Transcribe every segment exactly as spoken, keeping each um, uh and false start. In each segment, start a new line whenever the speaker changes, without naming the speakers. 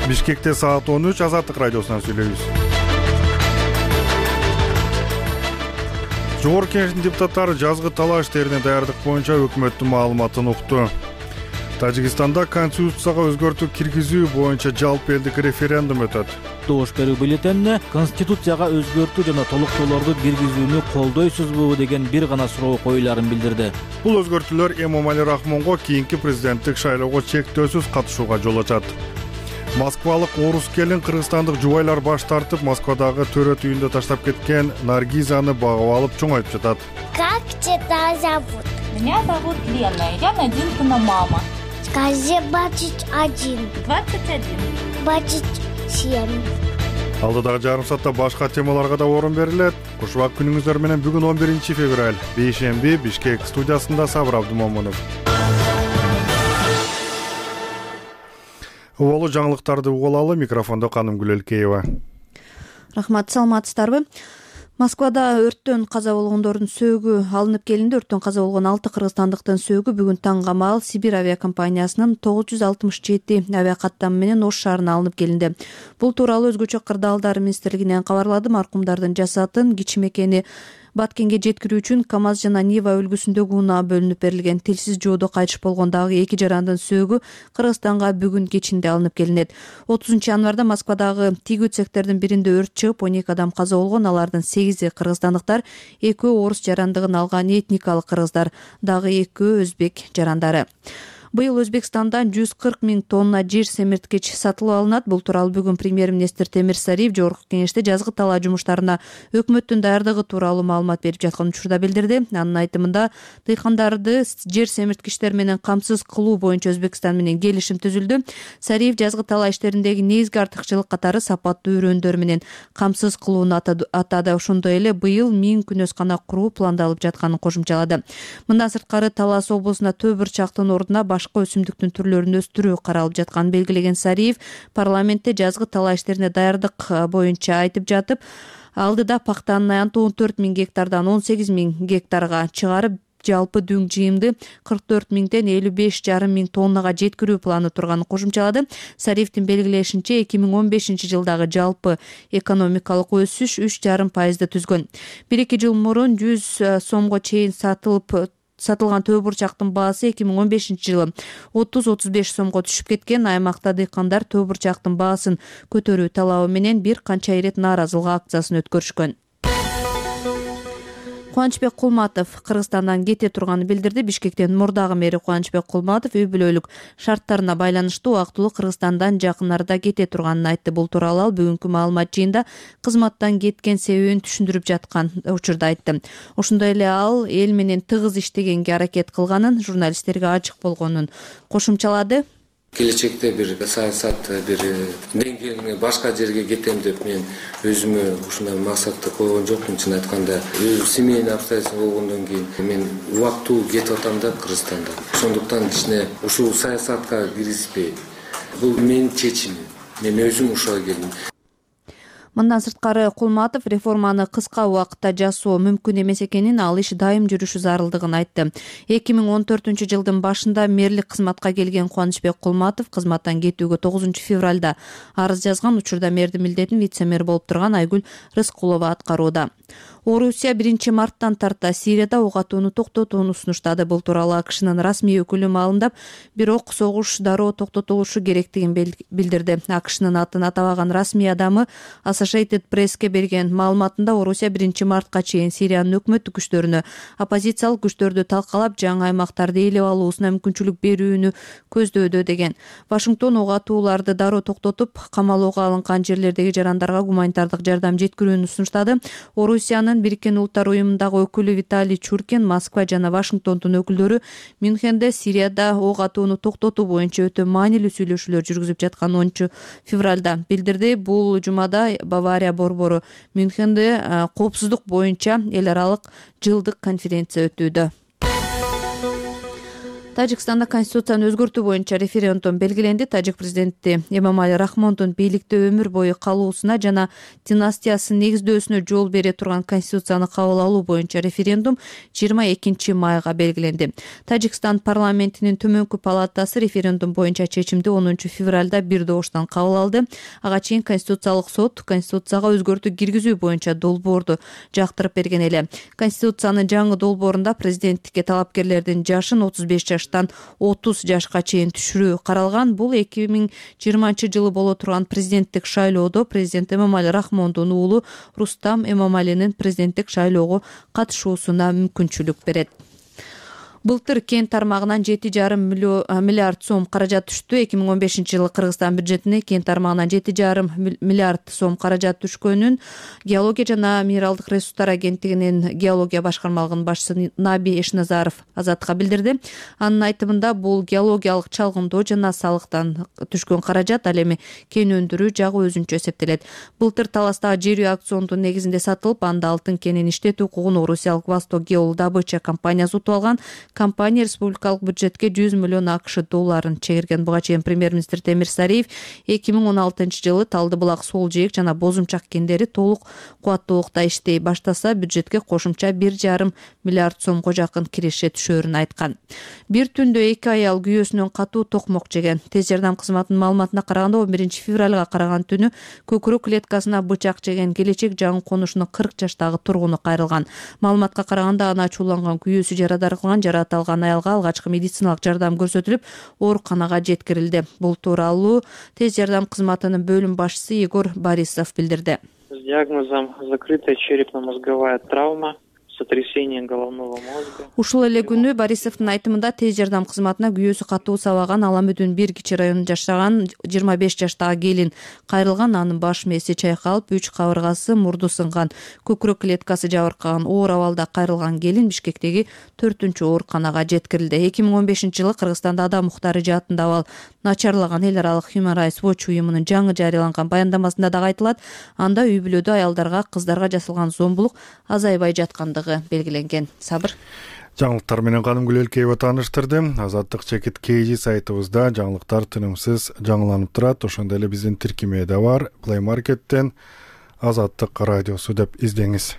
Бишкекте саат он үч, Азаттык радиосунан сүйлөйбүз. Жогорку Кеңештин депутаттары жазгы талаа иштерине даярдык боюнча өкмөттүн маалыматын укту. Тажикстанда конституцияга өзгөртүү киргизүү боюнча жалпы элдик референдум өтөт.
Добуш берүү бюллетенине конституцияга өзгөртүү жана толуктоолорду киргизүүнү колдойсузбу деген бир гана суроо коюларын билдирди.
Бул өзгөртүүлөр Эмомали Рахмонго кийинки президенттик шайлоого чектөөсүз катышууга жол ачат. Москвалык орус келин кыргызстандык жубайлар баш тартып, Москвадагы төрөт үйүндө таштап кеткен Наргизаны багып алып чоңойтуп жатат.
Как тебя зовут?
Меня зовут Лена, я Надинкина мама.
Скажи двадцать один.
двадцать один.
двадцать семь.
Алдыдагы жарым саатта башка темаларга да орун берилет. Кушубак күнүңүздөр менен бүгүн он биринчи февраль, бейшемби, Бишкек студиясында Сабыр Абдумомунов. Улуу жаңылыктарды угулалы, микрофондо Канымгүл Элкеева.
Рахмат, саламатсыздарбы? Москвада өрттөн каза болгондордун сөөгү алынып келинди. Өрттөн каза болгон алты кыргызстандыктын сөөгү бүгүн таң камал Сибирь авиакомпаниясынын тогуз жүз алтымыш жети авиакаттамы менен Ош шаарына алынып келинди. Бул тууралуу өзгөчө кырдаалдар министрлигинен кабарлады. Маркумдардын жасатын кичимекени Баткенге жеткирүү үчүн КамАЗ жана Нива үлгүсүндөгү унаа бөлүнүп берилген. Тилсиз жоодо кайтыш болгон дагы эки жарандын сөөгү Кыргызстанга бүгүн кечинде алынып келинет. отузунчу январда Москвадагы тигүү цехтердин биринде өрт чыгып, он эки адам каза болгон. Алардын сегизи кыргызстандыктар, экөө орус жарандыгын алган этникалык кыргыздар, дагы экөө өзбек жарандары. Быйыл Өзбекстандан жүз кырк миң тонна жер семирткич сатылып алынат. Бул тууралуу бүгүн премьер-министр Темир Сариев Жогорку Кеңеште жазгы талаа жумуштарына өкмөттүн даярдыгы тууралуу маалымат берип жаткан учурда билдирди. Анын айтымында, дыйкандарды жер семирткичтер менен камсыз кылуу боюнча Өзбекстан менен келишим түзүлдү. Сариев жазгы талаа иштериндеги негизги артыкчылык катары сапаттуу үрөндөр менен камсыз кылууну атады. Ошондой эле быйыл миң күнөскана куруу пландалып жатканын кошумчалады. Мындан сырткары Талас облусуна төө бурчактын ордуна башка өсүмдүктүн түрлөрүн өстүрүү каралып жатканын белгилеген Сариев парламентте жазгы талаа иштерине даярдык боюнча айтып жатып, алдыда пактанын аянты он төрт миң гектардан он сегиз миң гектарга чыгарып, жалпы дүң жыйымды кырк төрт миңден элүү беш жарым миң тоннага жеткирүү планы турганын кошумчалады. Сариевдин белгилешинче, эки миң он бешинчи жылдагы жалпы экономикалык өсүш үч жарым пайызды түзгөн. бир эки жыл мурун жүз сомго чейин сатылып сатылган төө бурчактын баасы эки миң он бешинчи жылы отуз отуз беш сомго түшүп кеткен. Аймакта дыйкандар төө бурчактын баасын көтөрүү талабы менен бир канча ирет нааразылык акциясын өткөрүшкөн. Кубанычбек Кулматов Кыргызстандан кете турганын билдирди. Бишкектин мурдагы мэри Кубанычбек Кулматов үй бүлөлүк шарттарына байланыштуу убактылуу Кыргызстандан жакын арада кете турганын айтты. Бул тууралуу ал бүгүнкү маалымат жыйында кызматтан кеткен себебин түшүндүрүп жаткан учурда айтты. Ошондой эле ал эл менен тыгыз иштегенге аракет кылганын, журналисттерге ачык болгонун кошумчалады.
Келечекте бир саясат бир деңгээлине башка жерге кетем деп мен өзүмө ушундай максатты койгон жокмун. Чын айтканда, өз семейный обстоятельства болгондон кийин мен убактылуу кетип атам да Кыргызстандан. Ошондуктан кичине ушул саясатка киргизбей, бул менин чечимим. Мен өзүм ушуга келдим.
Мындан сырткары Кулматов реформаны кыска убакытта жасоо мүмкүн эмес экенин, ал иш дайым жүрүшү зарылдыгын айтты. эки миң он төртүнчү жылдын башында мэрлик кызматка келген Кубанычбек Кулматов кызматтан кетүүгө тогузунчу февралда арыз жазган. Учурда мэрдин милдетин вице-мэр болуп турган Айгүл Рыскулова аткарууда. Орусия биринчи марттан тарта Сирияда ок атууну токтотууну сунуштады. Бул тууралуу АКШнын расмий өкүлү маалымдап, бирок согуш дароо токтотулушу керектигин билдирди. АКШнын атын атабаган расмий адамы Associated Press'ке берген маалыматында Орусия биринчи мартка чейин Сириянын өкмөттүк күчтөрүнө оппозициялык күчтөрдү талкалап, жаңы аймактарды ээлеп алуусуна мүмкүнчүлүк берүүнү көздөөдө деген. Вашингтон ок атууларды дароо токтотуп, камалууга алынган жерлердеги жарандарга гуманитардык жардам жеткирүүнү сунуштады. Орусиянын Бириккен Улуттар уюмундагы өкүлү Виталий Чуркин Москва жана Вашингтондун өкүлдөрү Мюнхенде Сирияда ок атууну токтотуу боюнча өтө маанилүү сүйлөшүүлөр жүргүзүп жатканын онунчу февралда билдирди. Бул жумада Бавария борбору Мюнхенде коопсуздук боюнча эл аралык жылдык конференция өтүүдө. Тажикстанда конституцияны өзгөртүү боюнча референдум белгиленди. Тажик президенти Эмомали Рахмондун бийликте өмүр бою калуусуна жана династиясын негиздөөсүнө жол бере турган конституцияны кабыл алуу боюнча референдум жыйырма экинчи майга белгиленди. Тажикстан парламентинин төмөнкү палатасы референдум боюнча чечимди онунчу февралда бир добуштан кабыл алды. Ага чейин Конституциялык сот конституцияга өзгөртүү киргизүү боюнча долбоорду жактырып берген эле. Конституциянын жаңы долбоорунда президенттикке талапкерлердин жашын отуз беш жаш отуз жашка чейин түшүрүү каралган. Бул эки миң жыйырманчы жылы боло турган президенттик шайлоодо президент Эмомали Рахмондун уулу Рустам Эмомалинин президенттик шайлоого катышуусуна мүмкүнчүлүк берет. Былтыр кен тармагынан жети жарым миллиард сом каражат түштү. эки миң он бешинчи жылы Кыргызстан бюджетине кен тармагынан жети жарым миллиард сом каражат түшкөнүн Геология жана минералдык ресурстар агенттигинин геология башкармалыгынын башчысы Наби Эшназаров Азатка билдирди. Анын айтымында бул геологиялык чалгындоо жана салыктан түшкөн каражат, ал эми кен өндүрүү жагы өзүнчө эсептелет. Былтыр Таластагы жер үй аукциондун негизинде сатылып, анда алтын кенин иштетүү укугун Орусиялык Восток Геодобыча компаниясы утуп алган. Компания республикалык бюджетке жүз миллион акш долларын чегирген. Буга чейин премьер-министр Темир Сариев эки миң он алтынчы жылы Талды булак, Сол жээк жана Бозумчак кендери толук кубаттуулукта иштей баштаса, бюджетке кошумча бир жарым миллиард сомго жакын киреше түшөөрүн айткан. Бир түндө эки аял күйөөсүнөн катуу токмок жеген. Тез жардам кызматынын маалыматына караганда, он биринчи февралга караган түнү көкүрөк клеткасына бычак жеген келечек жаңы конушунун кырк жаштагы тургуну кайрылган. Маалыматка караганда, аны ачууланган күйөөсү жарадар кылган. Аталган аялга алгачкы медициналык жардам көрсөтүлүп, ооруканага жеткирилди. Бул тууралуу тез жардам кызматынын бөлүм башчысы Егор Борисов билдирди.
С диагнозом закрытая черепно-мозговая травма, сотрясение головного мозга.
Ушул эле күнү Борисовдун айтымында тез жардам кызматына күйөөсү катуу сабаган Аламүдүн бир кичи районунда жашаган жыйырма беш жаштагы келин кайрылган. Анын баш мээси чайкалып, үч кабыргасы, мурду сынган, көкүрөк клеткасы жабыркаган. Оор абалда кайрылган келин Бишкектеги төртүнчү ооруканага жеткирилди. эки миң он бешинчи жылы Кыргызстанда адам укуктары жаатында абал начарлаган. Эл аралык Human Rights Watch уюмунун жаңы жарыяланган баяндамасында дагы айтылат. Анда үй бүлөдө аялдарга, кыздарга жасалган зомбулук азайбай жаткандыгы белгиленген. Сабыр.
Жаңылыктар менен Кадымгүл Элкеева тааныштырды. Азаттык чекит кей жи сайтыбызда жаңылыктар тынымсыз жаңыланып турат. Ошондой эле биздин тиркемеде бар. Play Market'тен Азаттык радиосу деп издеңиз.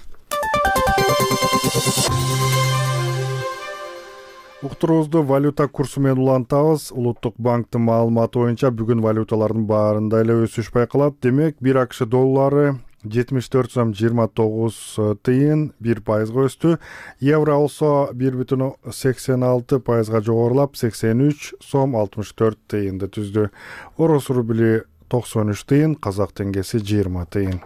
Уктуруубузду валюта курсу менен улантабыз. Улуттук банктын маалыматы боюнча бүгүн валюталардын баарында эле өсүш байкалат. Демек, бир акш доллары жетимиш төрт сом жыйырма тогуз тыйын бир пайызга өстү. Евро болсо бир бүтүн сексен алты пайызга жогорулап, сексен үч сом алтымыш төрт тыйынды түздү. Орус рубли токсон үч тыйын, казак теңгеси жыйырма тыйын.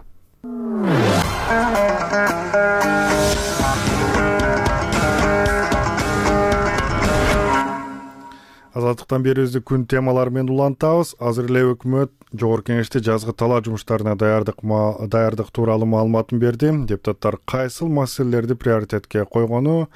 Азаттыктан берүүбүздү күн темалары менен улантабыз. Азыр эле өкмөт Жогорку Кеңеште жазгы талаа жумуштарына даярдык даярдык тууралуу маалыматын берди. Депутаттар кайсыл маселелерди приоритетке койгону,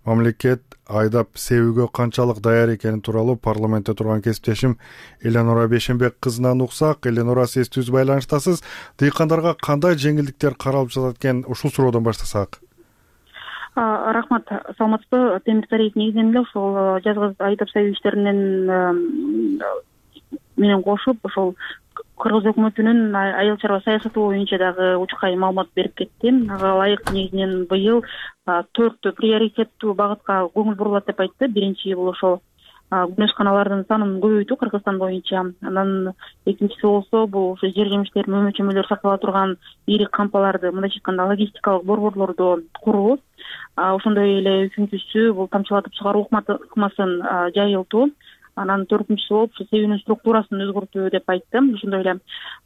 мамлекет айдап себүүгө канчалык даяр экени тууралуу парламентте турган кесиптешим Эленора Бешенбек кызынан уксак. Эленора, сиз түз байланыштасыз. Дыйкандарга кандай жеңилдиктер каралып жатат экен? Ушул суроодон баштасак.
Рахмат, саламатсызбы. Темир Сариев негизинен эле ошол жазгы айдап себүү иштеринен менен кошуп, ошол Кыргыз өкмөтүнүн айыл чарба саясаты боюнча дагы учкай маалымат берип кетти. Ага ылайык негизинен быйыл төрт приоритеттүү багытка көңүл бурулат деп айтты. Биринчи бул ошол күнөшканалардын санын көбөйтүү Кыргызстан боюнча. Анан экинчиси болсо бул ошо жер жемиштер, мөмө чөмөлөр сактала турган ири кампаларды, мындайча айтканда логистикалык борборлорду куруу. Ошондой эле үчүнчүсү бул тамчылатып чыгаруу ыкмасын жайылтуу. Анан төртүнчүсү болуп себүүнүн структурасын өзгөртүү деп айтты. Ошондой эле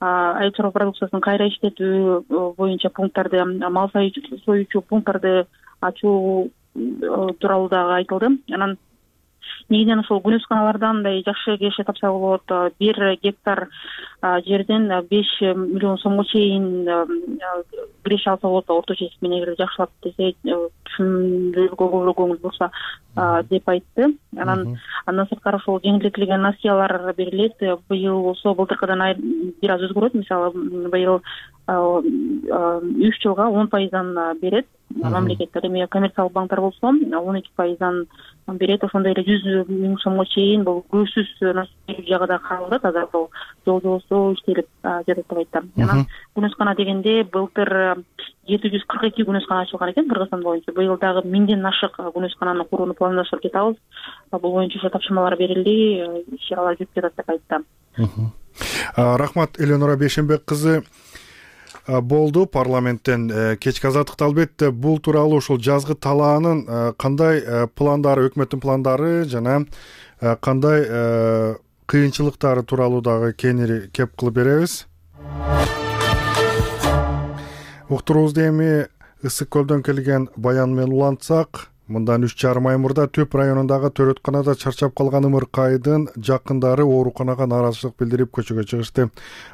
айыл чарба продукциясын кайра иштетүү боюнча пункттарды, мал союучу пункттарды ачуу тууралуу дагы айтылды. Анан негизинен ошол күнөшканалардан мындай жакшы кеше тапса болот. Бир гектар жерден беш миллион сомго чейин киреше алса болот. Орточо эсеп менен эгер жакшылап десе ушундойго көбүрөөк көңүл бурса деп айтты. Анан андан сырткары ошол жеңилдетилген насыялар берилет. Быйыл болсо былтыркыдан бир аз өзгөрөт. Мисалы быйыл үч жылга он пайыздан берет мамлекеттер. Эми коммерциялык банктар болсо он эки пайыздан берет. Ошондой эле жүз миң сомго чейин бул көзсүз насыя жагы да каралат. Азыр бул жол жобосу иштелип жатат деп айтты. Анан күнөскана дегенде былтыр жети жүз кырк эки күнөскана ачылган экен Кыргызстан боюнча. Быйыл дагы миңден ашык күнөскананы курууну пландаштырып жатабыз. Бул боюнча ошо тапшырмалар берилди, иш-чаралар жүрүп жатат деп айтты.
Рахмат, Эленора Бейшенбек кызы болду парламенттен. Кечки азаттыкта албетте бул тууралуу ушул жазгы талаанын кандай пландары, өкмөттүн пландары жана кандай кыйынчылыктары тууралуу дагы кеңири кеп кылып беребиз. Уктуруубузду эми Ысык көлдөн келген баян менен улантсак, мындан үч жарым ай мурда Төп районундагы төрөтканада чарчап калган ымыркайдын жакындары ооруканага нааразычылык билдирип көчөгө чыгышты.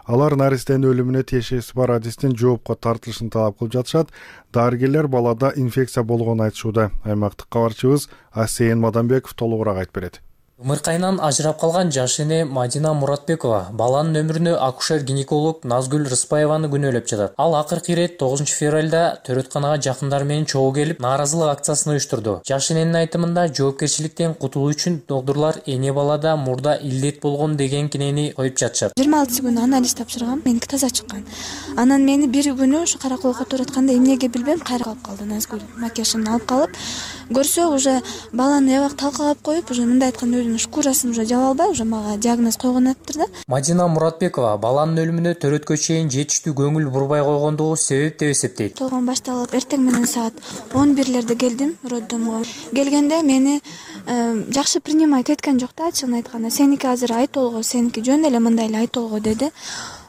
Алар наристенин өлүмүнө тиешеси бар адистин жоопко тартылышын талап кылып жатышат. Дарыгерлер балада инфекция болгонун айтышууда. Аймактык кабарчыбыз Асейин Мадамбеков толугураак айтып берет.
Ымыркайынан ажырап калган жаш эне Мадина Муратбекова баланын өмүрүнө акушер-гинеколог Назгүл Рыспаеваны күнөөлөп жатат. Ал акыркы ирет тогузунчу февралда төрөтканага жакындары менен чогуу келип, нааразылык акциясын уюштурду. Жаш эненин айтымында жоопкерчиликтен кутулуу үчүн доктурлар эне балада мурда илдет болгон деген кинени коюп жатышат.
жыйырма алтысы күнү анализ тапшыргам, меники таза чыккан. Анан мени бир күнү ушу караколго төрөткөндө эмнеге билбейм, кайра калып калды. Назгүл макияжын алып калып, көрсө уже баланы эбак талкалап коюп, уже мындай айтканда шкурасын уже жаба албай, уже мага диагноз койгон атыптыр да.
Мадина Муратбекова баланын өлүмүнө төрөткө чейин жетиштүү көңүл бурбай койгондугу себеп деп эсептейт.
Толгон башталып, эртең менен саат он бирлерде келдим роддомго. Келгенде мени жакшы принимать эткен жок да, ачыгын айтканда. Сеники азыр ай толго, сеники жөн эле мындай эле ай толго деди.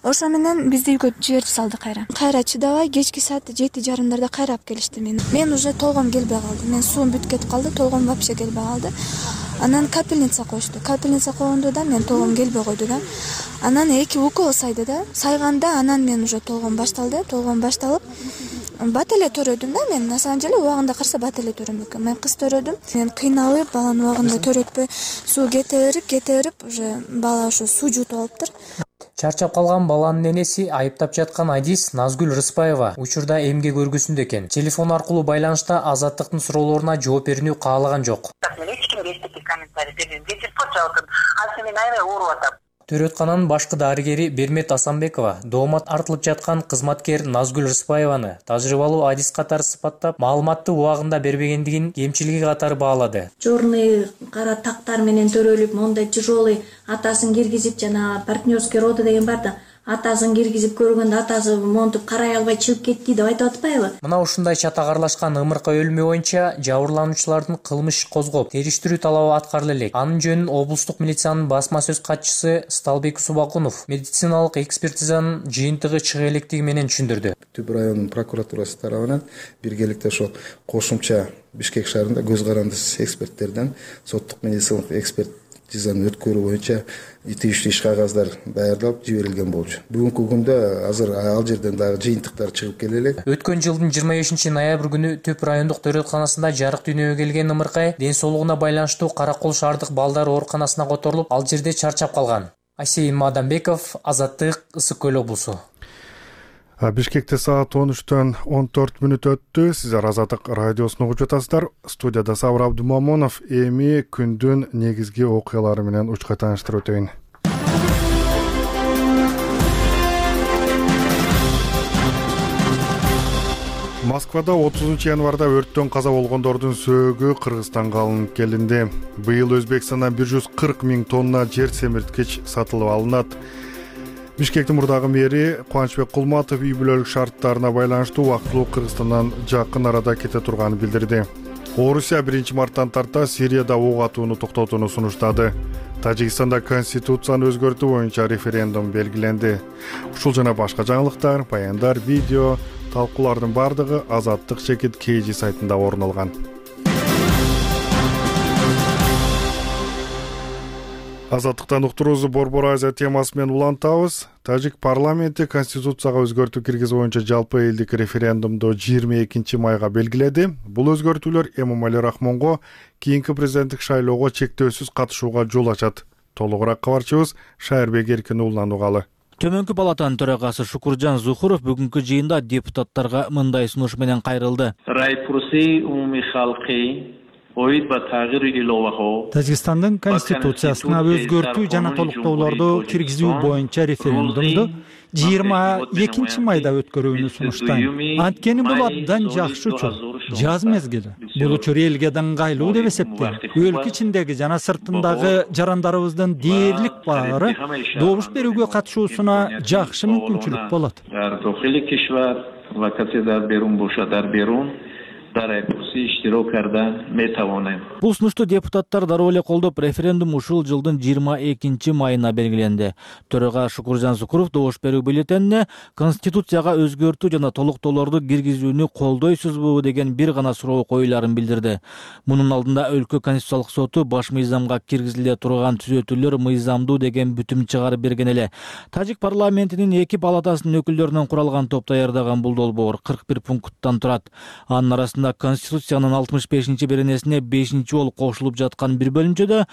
Ошо менен бизди үйгө жиберип салды кайра. Кайра чыдабай кечки саат жети жарымдарда кайра алып келишти мени. Мен уже толгом келбей калды. Мен суум бүтүп кетип калды, толгом вообще келбей калды. Анан капельница коюшту. Капельница койгондо да мен толгом келбей койду да. Анан эки укол сайды да. Сайганда анан мен уже толгом башталды. Толгом башталып бат эле төрөдүм да мен. На самом деле убагында караса бат эле төрөм экен. Мен кыз төрөдүм. Мен кыйналып, баланы убагында төрөтпөй, суу кете берип, кете берип, уже бала ошо суу жутуп алыптыр.
Чарчап калган баланын энеси айыптап жаткан адис Назгүл Рыспаева учурда эмгек көргүсүндө экен. Телефон аркылуу байланышта Азаттыктын суроолоруна жооп берүүнү каалаган жок. Төрөткананын башкы дарыгери Бермет Асанбекова доомат артылып жаткан кызматкер Назгүл Рыспаеваны тажрыйбалуу адис катары сыпаттап, маалыматты убагында бербегендигин кемчилиги катары баалады.
Чорный кара тактар менен төрөлүп, мондай тяжелый атасын киргизип, жана партнерский роды деген бар да, атасын киргизип көргөндө атасы монтуп карай албай чыгып кетти деп айтып атпайбы?
Мына ушундай чатагарлашкан ымыркай өлүмү боюнча жабырлануучулардын кылмыш иш козгоп, териштирүү талабы аткарыла элек. Анын жөнүн облустук милициянын басма сөз катчысы Сталбек Субакунов медициналык экспертизанын жыйынтыгы чыга электиги менен түшүндүрдү.
Түп районунун прокуратурасы тарабынан биргеликте ошо кошумча Бишкек шаарында көз карандысыз эксперттерден соттук медициналык эксперт тизаны өткөрүү боюнча тийиштүү иш кагаздар даярдалып жиберилген болчу. Бүгүнкү күндө азыр ал жерден дагы жыйынтыктар чыгып келе элек.
Өткөн жылдын жыйырма бешинчи ноябрь күнү Төп райондук төрөтканасында жарык дүйнөгө келген ымыркай ден соолугуна байланыштуу Каракол шаардык балдар ооруканасына которулуп, ал жерде чарчап калган. Асейин Мадамбеков, Азаттык, Ысык көл облусу.
Бишкекте саат он үчтөн он төрт мүнөт өттү. Сиздер Азаттык радиосун угуп жатасыздар. Студияда Сабыр Абдумамонов. Эми күндүн негизги окуялары менен учка тааныштырып өтөйүн. Москвада отузунчу январда өрттөн каза болгондордун сөөгү Кыргызстанга алынып келинди. Быйыл Өзбекстандан бир жүз кырк миң тонна жер семирткич сатылып алынат. Бишкектин мурдагы мэри Кубанычбек Кулматов үй бүлөлүк шарттарына байланыштуу убактылуу Кыргызстандан жакын арада кете турганын билдирди. Орусия биринчи марттан тарта Сирияда ок атууну токтотууну сунуштады. Тажикстанда конституцияны өзгөртүү боюнча референдум белгиленди. Ушул жана башка жаңылыктар, баяндар, видео, талкуулардын бардыгы Азаттык чекит кей жи сайтында орун алган. Азаттыктан уктуруубузду Борбор Азия темасы менен улантабыз. Тажик парламенти конституцияга өзгөртүү киргизүү боюнча жалпы элдик референдумду жыйырма экинчи майга белгиледи. Бул өзгөртүүлөр Эмомали Рахмонго кийинки президенттик шайлоого чектөөсүз катышууга жол ачат. Толугураак кабарчыбыз Шайырбек Эркин уулунан угалы.
Төмөнкү палатанын төрагасы Шукуржан Зухуров бүгүнкү жыйында депутаттарга мындай сунуш менен кайрылды.
Тажикстандын конституциясына өзгөртүү жана толуктоолорду киргизүү боюнча референдумду жыйырма экинчи майда өткөрүүнү сунуштайм. Анткени бул абдан жакшы учур. Жаз мезгили. Бул учур элге да ыңгайлуу деп эсептейм. Өлкө ичиндеги жана сыртындагы жарандарыбыздын дээрлик баары добуш берүүгө катышуусуна жакшы мүмкүнчүлүк болот.
Бул сунушту депутаттар дароо эле колдоп, референдум ушул жылдын жыйырма экинчи майына белгиленди. Төрага Шукуржан Зукуров добуш берүү бюллетенине конституцияга өзгөртүү жана толуктоолорду киргизүүнү колдойсузбу деген бир гана суроо коюларын билдирди. Мунун алдында өлкө конституциялык соту баш мыйзамга киргизиле турган түзөтүүлөр мыйзамдуу деген бүтүм чыгарып берген эле. Тажик парламентинин эки палатасынын өкүлдөрүнөн куралган топ даярдаган бул долбоор кырк бир пункттан турат. Анын арасында Конституциянын алтымыш бешинчи беренесине бешинчи болуп кошулуп жаткан бир бөлүмчөдө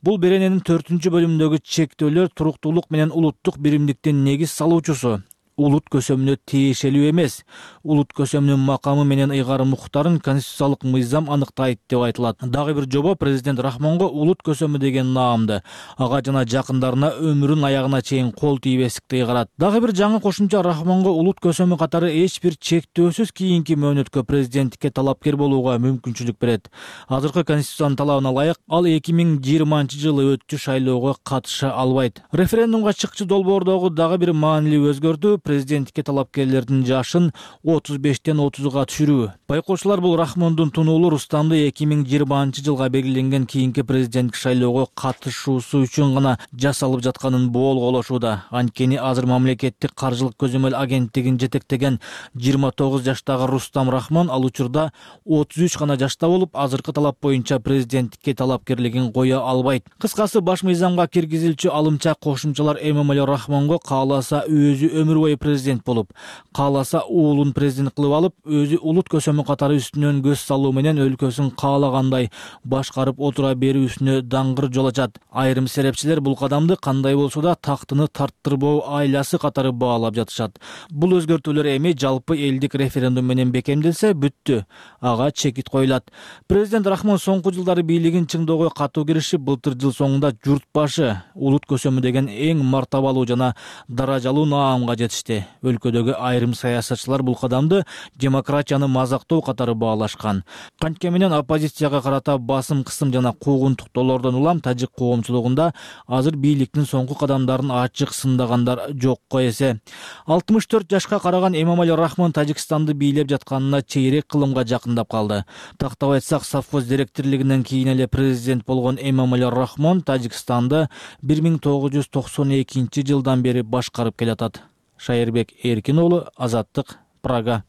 бул берененин төртүнчү бөлүмүндөгү чектөөлөр туруктуулук менен улуттук биримдиктин негиз салуучусу. Улут көсөмүнө тиешелүү эмес. Улут көсөмүнүн макамы менен ыйгар муктарын конституциялык мыйзам аныктайт деп айтылат. Дагы бир жобо президент Рахмонго улут көсөмү деген наамды, ага жана жакындарына өмүрүнүн аягына чейин кол тийбестикти ыйгарат. Дагы бир жаңы кошумча Рахмонго улут көсөмү катары эч бир чектөөсүз кийинки мөөнөткө президенттикке талапкер болууга мүмкүнчүлүк берет. Азыркы конституциянын талабына ылайык ал эки миң жыйырманчы жылы өтчү шайлоого катыша албайт. Референдумга чыкчы долбоордогу дагы бир маанилүү өзгөртүү президенттикке талапкерлердин жашын отуз бештен отузга түшүрүү. Байкоочулар бул Рахмондун тунуулу Рустамды эки миң жыйырманчы жылга белгиленген кийинки президенттик шайлоого катышуусу үчүн гана жасалып жатканын боолголошууда. Анткени азыр мамлекеттик каржылык көзөмөл агенттигин жетектеген жыйырма тогуз жаштагы Рустам Рахмон ал учурда отуз үч гана жашта болуп, азыркы талап боюнча президенттикке талапкерлигин кое албайт. Кыскасы, баш мыйзамга киргизилчү алымча кошумчалар Эмомали Рахмонго кааласа өзү өмүр бою президент болуп, кааласа уулун президент кылып алып, өзү улут көсөмү катары үстүнөн көз салуу менен өлкөсүн каалагандай башкарып отура берүүсүнө даңгыр жол ачат. Айрым серепчилер бул кадамды кандай болсо да тактыны тарттырбоо айласы катары баалап жатышат. Бул өзгөртүүлөр эми жалпы элдик референдум менен бекемделсе бүттү. Ага чекит коюлат. Президент Рахмон соңку жылдары бийлигин чыңдоого катуу киришип, былтыр жыл соңунда журт башы улут көсөмү деген эң мартабалуу жана даражалуу наамга жетишти. Өлкөдөгү айрым саясатчылар бул кадамды демократияны мазактоо катары баалашкан. Кантке менен оппозицияга карата басым кысым жана куугунтуктоолордон улам тажик коомчулугунда азыр бийликтин соңку кадамдарын ачык сындагандар жокко эсе. алтымыш төрт жашка караган Эмомали Рахмон Тажикстанды бийлеп жатканына чейрек кылымга жакындап калды. Тактап айтсак, совхоз директорлигинен кийин эле президент болгон Эмомали Рахмон Тажикстанды бир миң тогуз жүз токсон экинчи жылдан бери башкарып келатат. Шайырбек Эркин уулу, Азаттык, Прага.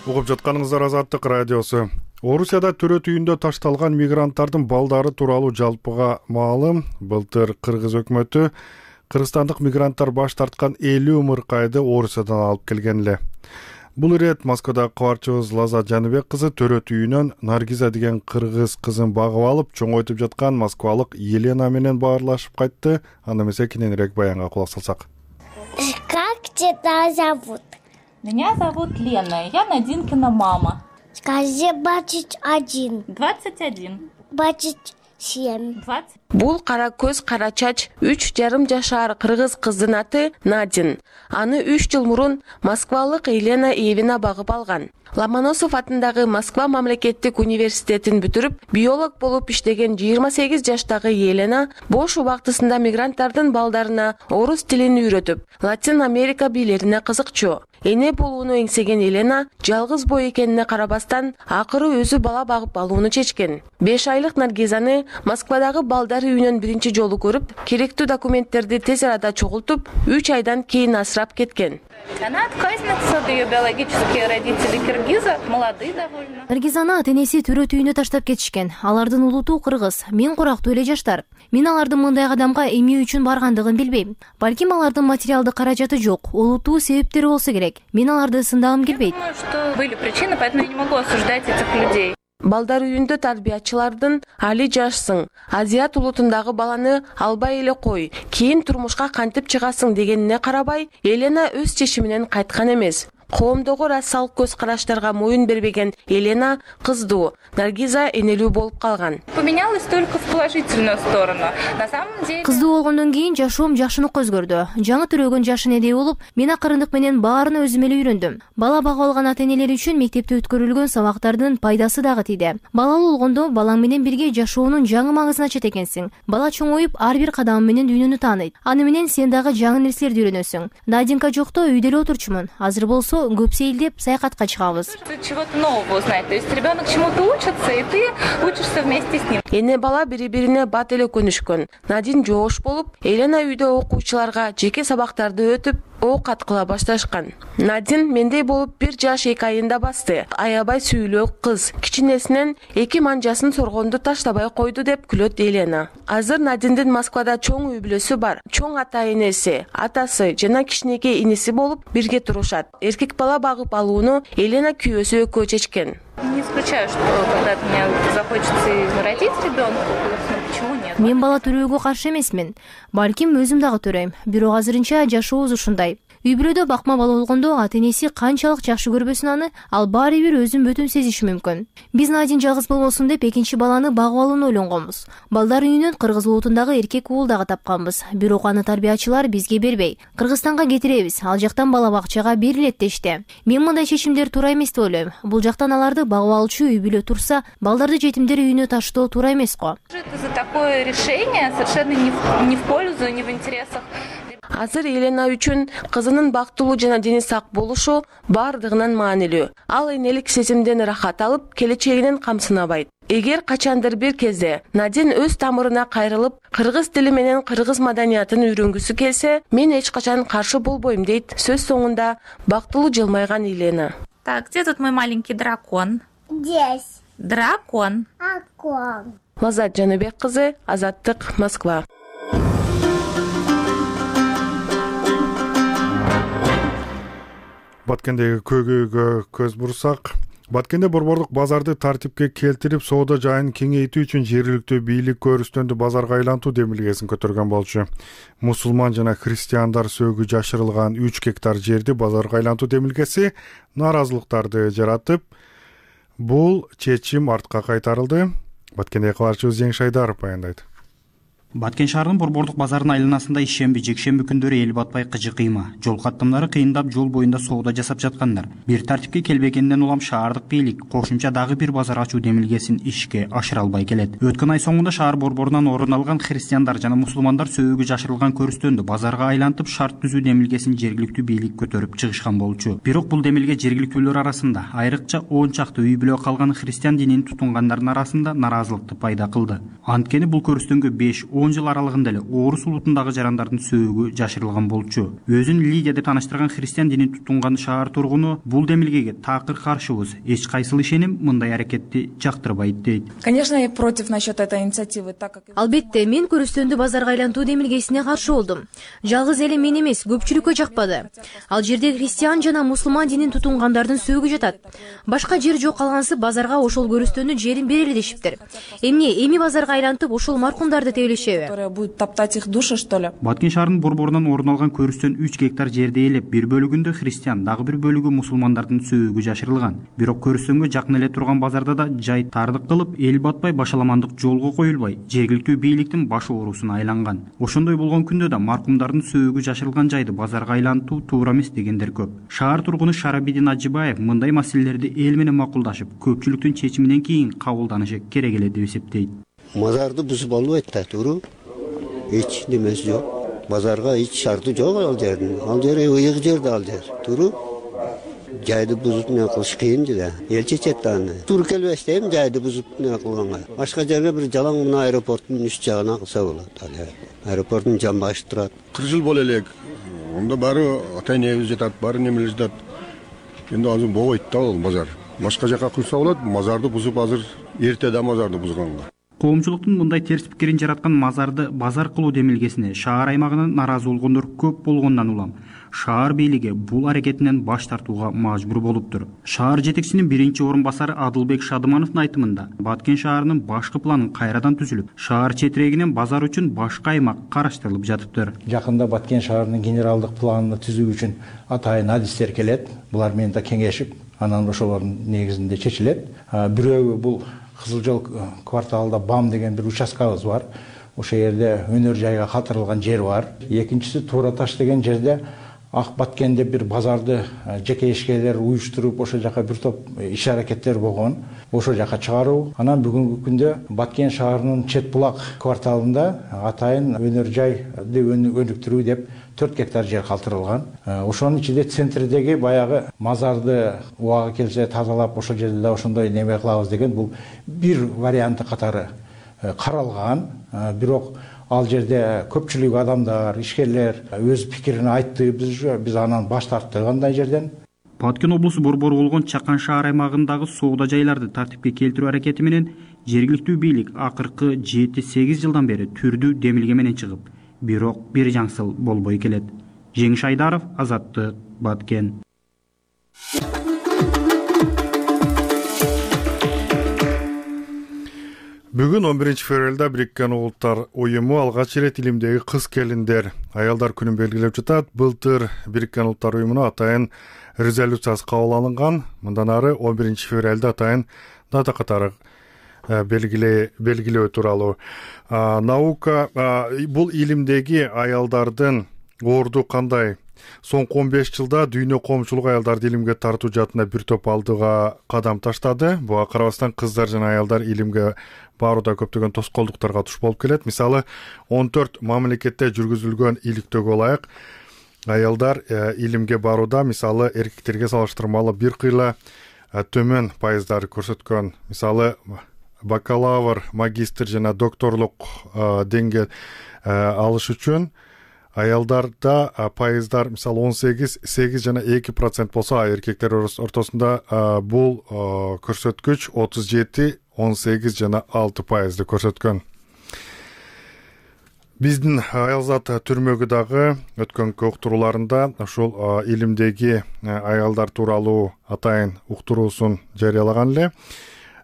Угуп жатканыңыздар Азаттык радиосу. Орусияда төрөт үйүндө ташталган мигранттардын балдары тууралуу жалпыга маалым. Былтыр Кыргыз өкмөтү кыргызстандык мигранттар баш тарткан элүү ымыркайды Орусиядан алып келген эле. Бул ирет Москвадагы кабарчыбыз Лазат Жаныбек кызы төрөт үйүнөн Наргиза деген кыргыз кызын багып алып, чоңойтуп жаткан москвалык Елена менен баарлашып кайтты. Аны эмесе кененирээк баянга кулак салсак.
Как тебя зовут?
Меня зовут Лена, я Надинкина мама.
Скажи, двадцать один.
двадцать один.
двадцать семь.
двадцать.
Бул кара көз кара чач үч жарым жашар кыргыз кыздын аты Надин. Аны үч жыл мурун москвалык Елена Эвина багып алган. Ломоносов атындагы Москва мамлекеттик университетин бүтүрүп, биолог болуп иштеген жыйырма сегиз жаштагы Елена бош убактысында мигранттардын балдарына орус тилин үйрөтүп, Латин Америка бийлерине кызыкчу. Эне болууну эңсеген Елена жалгыз бой экенине карабастан акыры өзү бала багып алууну чечкен. беш айлык Наргизаны Москвадагы балдар үйүнөн биринчи жолу көрүп, керектүү документтерди тез арада чогултуп, үч айдан кийин асырап кеткен.
Она отказница, ее биологические родители киргизы, молодые довольно.
Наргизаны ата-энеси төрөт үйүнө таштап кетишкен. Алардын улуту кыргыз, мен курактуу эле жаштар. Мен алардын мындай кадамга эмне үчүн баргандыгын билбейм. Балким алардын материалдык каражаты жок, улутуу себептери болсо керек. Мен аларды сындагым келбейт.
Думаю, что были причины, поэтому я не могу осуждать этих людей.
Балдар үйүндө тарбиячылардын али жашсың, Азиат улутундагы баланы албай эле кой, кийин турмушка кантип чыгасың дегенине карабай, Елена өз чечиминен кайткан эмес. Коомдогу расалык көз караштарга моюн бербеген Елена кыздуу, Наргиза энелүү болуп калган.
Поменялась только в положительную сторону. На самом деле
кыздуу болгондон кийин жашоом жакшынык өзгөрдү. Жаңы төрөгөн жаш энедей болуп, мен акырындык менен баарына өзүм эле үйрөндүм. Бала багып алган ата-энелер үчүн мектепте өткөрүлгөн сабактардын пайдасы дагы тийди. Балалуу болгондо балаң менен бирге жашоонун жаңы маңызын ачат экенсиң. Бала чоңоюп, ар бир кадамы менен дүйнөнү тааныйт. Аны менен сен дагы жаңы нерселерди үйрөнөсүң. Надинка жокто үйдө эле отурчумун. Азыр болсо көп сейилдеп саякатка чыгабыз.
Чего-то нового узнать. То есть ребенок чему-то учится, и ты учишься вместе с ним.
Эне бала бири-бирине бат эле көнүшкөн. Надин жоош болуп, Елена үйдө окуучуларга жеке сабактарды өтүп, оокат кыла башташкан. Надин мендей болуп бир жаш эки айында басты. Аябай сүйүлүү кыз. Кичинесинен эки манжасын соргонду таштабай койду деп күлөт Елена. Азыр Надиндин Москвада чоң үй бүлөсү бар. Чоң ата-энеси, атасы жана кичинекей иниси болуп бирге турушат. Эркек бала багып алууну Елена күйөөсү экөө чечкен.
Не исключаю, что когда-то мне захочется родить ребенка, но почему нет?
Мен бала төрөөгө каршы эмесмин. Балким өзүм дагы төрөйм. Бирок азырынча жашообуз ушундай. Үй бүлөдө бакма бала болгондо ата-энеси канчалык жакшы көрбөсүн аны, ал баары бир өзүн бөтөн сезиши мүмкүн. Биз Надин жалгыз болбосун деп экинчи баланы багып алууну ойлонгонбуз. Балдар үйүнөн кыргыз улутундагы эркек уул дагы тапканбыз. Бирок аны тарбиячылар бизге бербей, Кыргызстанга кетиребиз. Ал жактан бала бакчага берилет дешти. Мен мындай чечимдер туура эмес деп ойлойм. Бул жактан аларды багып алуучу үй бүлө турса, балдарды жетимдер үйүнө таштоо туура эмес го.
Это за такое решение совершенно не в, не в пользу, не в интересах.
Азыр Елена үчүн кызынын бактылуу жана дени сак болушу бардыгынан маанилүү. Ал энелик сезимден рахат алып, келечегинен камсынабайт. Эгер качандыр бир кезде Надин өз тамырына кайрылып, кыргыз тили менен кыргыз маданиятын үйрөнгүсү келсе, мен эч качан каршы болбойм дейт сөз соңунда бактылуу жылмайган Елена.
Так, где тут мой маленький дракон?
Здесь.
Дракон.
Дракон.
Лазат Жаныбек кызы, Азаттык, Москва.
Баткендеги көйгөйгө көз бурсак, Баткенде борборлук базарды тартипке келтирип, соода жайын кеңейтүү үчүн жергиликтүү бийлик көрүстөндү базарга айлантуу демилгесин көтөргөн болчу. Мусулман жана христиандар сөөгү жашырылган үч гектар жерди базарга айлантуу демилгеси нааразылыктарды жаратып, бул чечим артка кайтарылды. Баткенде кабарчыбыз Жеңиш Айдаров баяндайт.
Баткен шаарынын борборлук базарынын айланасында ишемби, жекшемби күндөрү эл батпай кыжы кыйма, жол каттамдары кыйындап жол боюнда соода жасап жаткандар. Бир тартипке келбегенден улам шаардык бийлик кошумча дагы бир базар ачуу демилгесин ишке ашыра албай келет. Өткөн ай соңунда шаар борборунан орун алган христиандар жана мусулмандар сөөгү жашырылган көрүстөндү базарга айлантып шарт түзүү демилгесин жергиликтүү бийлик көтөрүп чыгышкан болчу. Бирок бул демилге жергиликтүүлөр арасында, айрыкча он чакты үй бүлө калган христиан динин тутунгандардын арасында наразылыкты пайда кылды. Анткени бул көрүстөнгө беш он жыл аралыгында эле орус улутундагы жарандардын сөөгү жашырылган болчу. Өзүн Лидия деп тааныштырган христиан динин тутунган шаар тургуну бул демилгеге такыр каршыбыз. Эч кайсыл ишеним мындай аракетти жактырбайт дейт.
Конечно, я против насчет этой инициативы, так как
Албетте, мен көрүстөндү базарга айлантуу демилгесине каршы болдум. Жалгыз эле мен эмес, көпчүлүккө жакпады. Ал жерде христиан жана мусулман динин тутунгандардын сөөгү жатат. Башка жер жок калгансып базарга ошол көрүстөндүн жерин берели дешиптир. Эмне, эми базарга айлантып ошол маркумдарды тебелешеби?
Будет топтать их души, что ли?
Баткен шаарынын борборунан орун алган көрүстөн үч гектар жерди ээлеп, бир бөлүгүндө христиан, дагы бир бөлүгү мусулмандардын сөөгү жашырылган. Бирок көрүстөнгө жакын эле турган базарда да жай тардык кылып, эл батпай башаламандык жолго коюлбай, жергиликтүү бийликтин баш оорусуна айланган. Ошондой болгон күндө да маркумдардын сөөгү жашырылган жайды базарга айлантуу туура эмес дегендер көп. Шаар тургуну Шарабидин Ажибаев мындай маселелерди эл менен макулдашып, көпчүлүктүн чечиминен кийин кабылданышы керек эле деп эсептейт.
Мазарды бузуп албайт да туру. Эч немеси жок. Базарга эч шарты жок ал жердин. Ал жер ыйык жерде ал жер. Туру жайды бузуп эмне кылыш кыйын да. Эл чечет аны. Туура келбес дейм жайды бузуп эмне кылганга. Башка жерге бир жалаң мына аэропорттун үч жагына кылса болот. Аэропорттун жамбашы турат.
кырк жыл боло элек. Онда баары ата-энебиз жатат, баары немелер жатат. Эndi азыр болбойт да ал базар. Башка жака курса болот, мазарды бузуп азыр эрте да мазарды бузганга.
Коомчулуктун мындай терс пикирин жараткан мазарды базар кылуу демилгесине шаар аймагынан наразы болгондор көп болгондон улам шаар бийлиги бул аракетинен баш тартууга мажбур болуптур. Шаар жетекчисинин биринчи орун басары Адылбек Шадымановдун айтымында Баткен шаарынын башкы планын кайрадан түзүлүп, шаар четирегинен базар үчүн башка аймак караштырылып жатыптыр.
Жакында Баткен шаарынын генералдык планын түзүү үчүн атайын адистер келет. Булар менен да кеңешип, анан ошолордун негизинде чечилет. Бирөөбү бул Кызыл жол кварталында БАМ деген бир участкабыз бар. Ошол жерде өнөр жайга калтырылган жер бар. Экинчиси Туура таш деген жерде Ак Баткенде бир базарды жеке ишкерлер уюштуруп, ошол жака бир топ иш аракеттер болгон. Ошол жака чыгаруу. Анан бүгүнкү күндө Баткен шаарынын Чет булак кварталында атайын өнөр жайды өнүктүрүү деп төрт гектар жер калтырылган. Ошонун ичинде центрдеги баягы мазарды убага келсе тазалап, ошол жерде да ошондой неме кылабыз деген бул бир варианты катары каралган. Бирок ал жерде көпчүлүк адамдар, ишкерлер өз пикирин айтты. Биз биз анан баш тарттык андай жерден.
Баткен облусу борбору болгон Чакан шаар аймагындагы соода жайларды тартипке келтирүү аракети менен жергиликтүү бийлик акыркы жети сегиз жылдан бери түрдүү демилге менен чыгып, бирок бир жаңсыл болбой келет. Жеңиш Айдаров, Азаттык, Баткен.
Бүгүн он биринчи февралда Бириккен Улуттар уюму алгач ирет илимдеги кыз келиндер, аялдар күнүн белгилеп жатат. Былтыр Бириккен Улуттар уюмуна атайын резолюциясы кабыл алынган. Мындан ары он биринчи февралда атайын дата катары белгилөө тууралуу. Наука бул илимдеги аялдардын орду кандай? Соңку он беш жылда дүйнө коомчулук аялдарды илимге тартуу жаатына бир топ алдыга кадам таштады. Буга карабастан кыздар жана аялдар илимге барууда көптөгөн тоскоолдуктарга туш болуп келет. Мисалы, он төрт мамлекетте жүргүзүлгөн иликтөөгө ылайык аялдар илимге барууда мисалы эркектерге салыштырмалуу бир кыйла төмөн пайыздар көрсөткөн. Мисалы, бакалавр, магистр жана докторлук деңгээл алыш үчүн аялдарда пайыздар мисалы он сегиз, сегиз жана эки процент болсо, эркектер ортосунда бул көрсөткүч отуз жети, он сегиз жана алты пайызды көрсөткөн. Биздин аялзат түрмөгү дагы өткөнкү уктурууларында ушул илимдеги аялдар тууралуу атайын уктуруусун жарыялаган эле.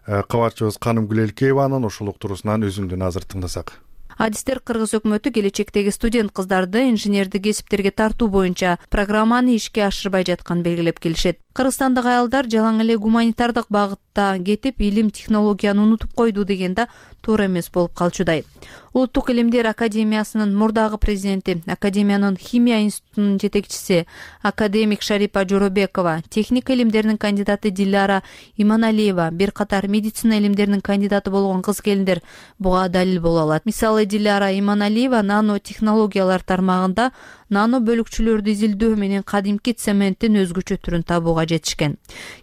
Кабарчыбыз Канымгүл Элкееванын ушул уктуруусунан үзүндүн азыр тыңдасак.
Адистер Кыргыз өкмөтү келечектеги студент кыздарды инженердик кесиптерге тартуу боюнча программаны ишке ашырбай жатканын белгилеп келишет. Кыргызстандык аялдар жалаң эле гуманитардык багытта кетип, илим технологияны унутуп койду дегенде туура эмес болуп калчудай. Улуттук илимдер академиясынын мурдагы президенти, академиянын химия институтунун жетекчиси академик Шарипа Жоробекова, техника илимдеринин кандидаты Диляра Иманалиева, бир катар медицина илимдеринин кандидаты болгон кыз келиндер буга далил боло алат. Мисалы, Диляра Иманалиева нано технологиялар тармагында нано бөлүкчөлөрдү изилдөө менен кадимки цементтин өзгөчө түрүн табууга жетишкен.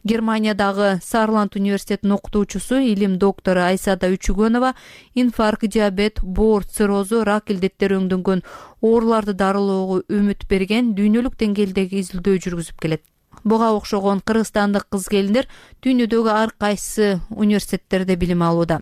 Германиядагы Сарланд университетинин окутуучусу, илим доктору Айсада Үчүгөнова инфаркт, диабет, боор, циррозу, рак илдеттери өңдөнгөн ооруларды дарылоого үмүт берген дүйнөлүк деңгээлдеги изилдөө жүргүзүп келет. Буга окшогон кыргызстандык кыз келиндер дүйнөдөгү ар кайсы университеттерде билим алууда.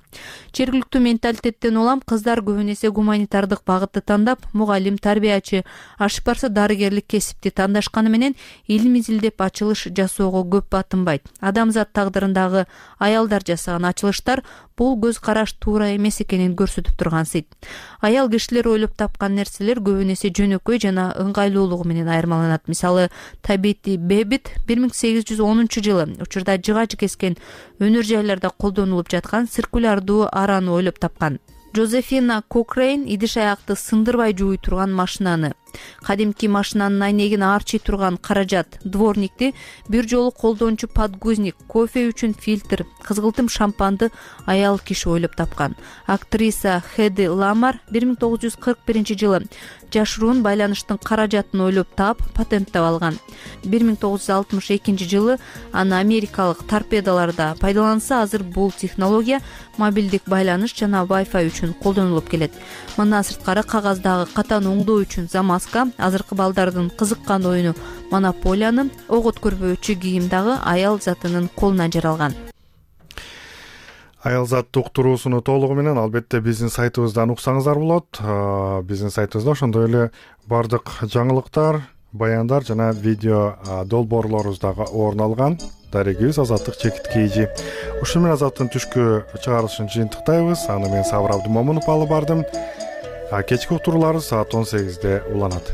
Жергиликтүү менталитеттен улам кыздар көбүн эсе гуманитардык багытты тандап, мугалим, тарбиячы, ашып-барса дарыгерлик кесипти тандашканы менен илим изилдеп ачылыш жасоого көп батынбайт. Адамзат тагдырындагы аялдар жасаган ачылыштар бул көз караш туура эмес экенин көрсөтүп турган сыйт. Аял кишилер ойлоп тапкан нерселер көбүн эсе жөнөкөй жана ыңгайлуулугу менен айырмаланат. Мисалы, Табити Бебит бир миң сегиз жүз онунчу жылы учурда жыгач кескен өнөр жайларда колдонулуп жаткан циркулярдуу араны ойлоп тапкан. Жозефина Кокрейн идиш аякты сындырбай жууй турган машинаны, кадимки машинанын айнегин аарчый турган каражат, дворникти, бир жолу колдончу подгузник, кофе үчүн фильтр, кызгылтым шампанды аял киши ойлоп тапкан. Актриса Хеди Ламар бир миң тогуз жүз кырк биринчи жылы жашыруун байланыштын каражатын ойлоп таап, патенттеп алган. бир миң тогуз жүз алтымыш экинчи жылы аны америкалык торпедолордо пайдаланса, азыр бул технология мобилдик байланыш жана Wi-Fi үчүн колдонулуп келет. Мындан сырткары кагаздагы катан оңдоо үчүн замазка, азыркы балдардын кызыккан оюну монополияны, ок өткөрбөөчү кийим дагы аял затынын колуна жаралган.
Аял заттык уктуруусуну толугу менен албетте биздин сайтыбыздан уксаңыздар болот. Биздин сайтыбызда ошондой эле бардык жаңылыктар, баяндар жана видео долбоорлорубуз дагы орун алган. Дарегибиз Азаттык Чекит Кийжи. Ушул менен Азаттын түшкү чыгарылышын жыйынтыктайбыз. Аны мен Сабыр Абдымомунов алып бардым. Кечки уктурууларыбыз саат он сегизде уланат.